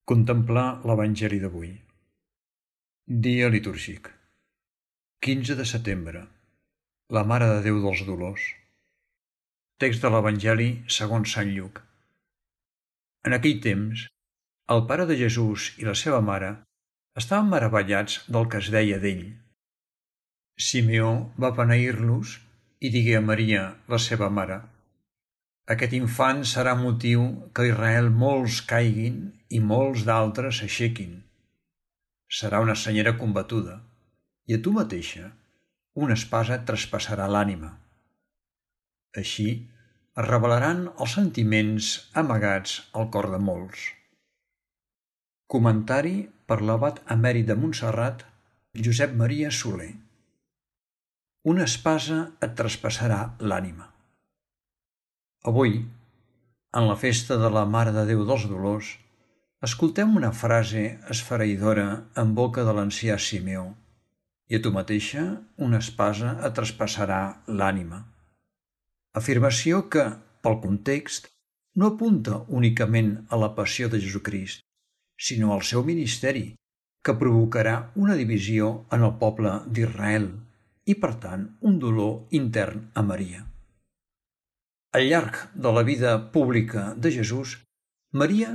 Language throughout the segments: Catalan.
Contemplar l'Evangeli d'avui. Dia litúrgic. 15 de setembre. La Mare de Déu dels Dolors. Text de l'Evangeli segons Sant Lluc. En aquell temps, el pare de Jesús i la seva mare estaven meravellats del que es deia d'ell. Simeó va beneir-los i digué a Maria, la seva mare: aquest infant serà motiu que a Israel molts caiguin i molts d'altres s'aixequin. Serà una senyera combatuda, i a tu mateixa una espasa et traspassarà l'ànima. Així es revelaran els sentiments amagats al cor de molts. Comentari per l'abat emèrit de Montserrat, Josep Maria Soler. Una espasa et traspassarà l'ànima. Avui, en la festa de la Mare de Déu dels Dolors, escoltem una frase esfereïdora en boca de l'ancià Simeó: i a tu mateixa una espasa et traspassarà l'ànima. Afirmació que, pel context, no apunta únicament a la passió de Jesucrist, sinó al seu ministeri, que provocarà una divisió en el poble d'Israel i, per tant, un dolor intern a Maria. Al llarg de la vida pública de Jesús, Maria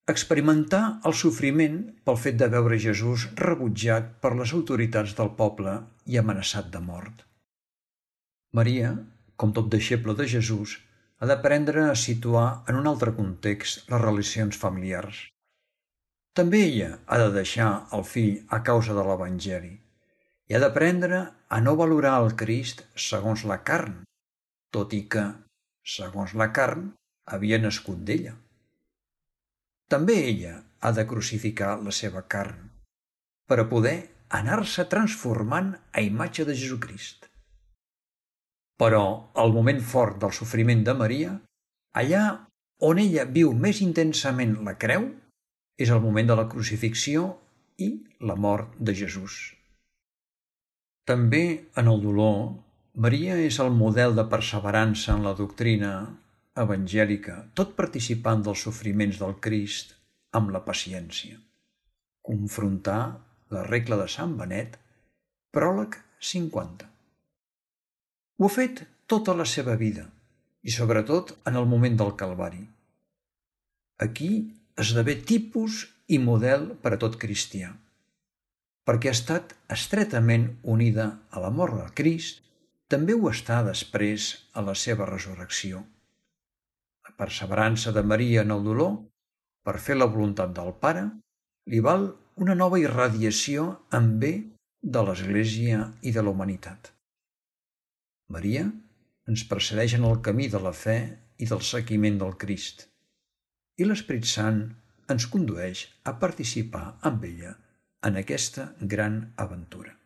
experimentà el sofriment pel fet de veure Jesús rebutjat per les autoritats del poble i amenaçat de mort. Maria, com tot deixeble de Jesús, ha d'aprendre a situar en un altre context les relacions familiars. També ella ha de deixar el fill a causa de l'Evangeli i ha d'aprendre a no valorar el Crist segons la carn, tot i que, segons la carn, havia nascut d'ella. També ella ha de crucificar la seva carn per a poder anar-se transformant a imatge de Jesucrist. Però el moment fort del sofriment de Maria, allà on ella viu més intensament la creu, és el moment de la crucifixió i la mort de Jesús. També en el dolor, Maria és el model de perseverança en la doctrina evangèlica, tot participant dels sofriments del Crist amb la paciència. Confrontar la regla de Sant Benet, pròleg 50. Ho ha fet tota la seva vida i sobretot en el moment del Calvari. Aquí esdevé tipus i model per a tot cristià, perquè ha estat estretament unida a la mort de Crist. També ho està després a la seva resurrecció. La perseverança de Maria en el dolor, per fer la voluntat del Pare, li val una nova irradiació en bé de l'Església i de la humanitat. Maria ens precedeix en el camí de la fe i del seguiment del Crist, i l'Esperit Sant ens condueix a participar amb ella en aquesta gran aventura.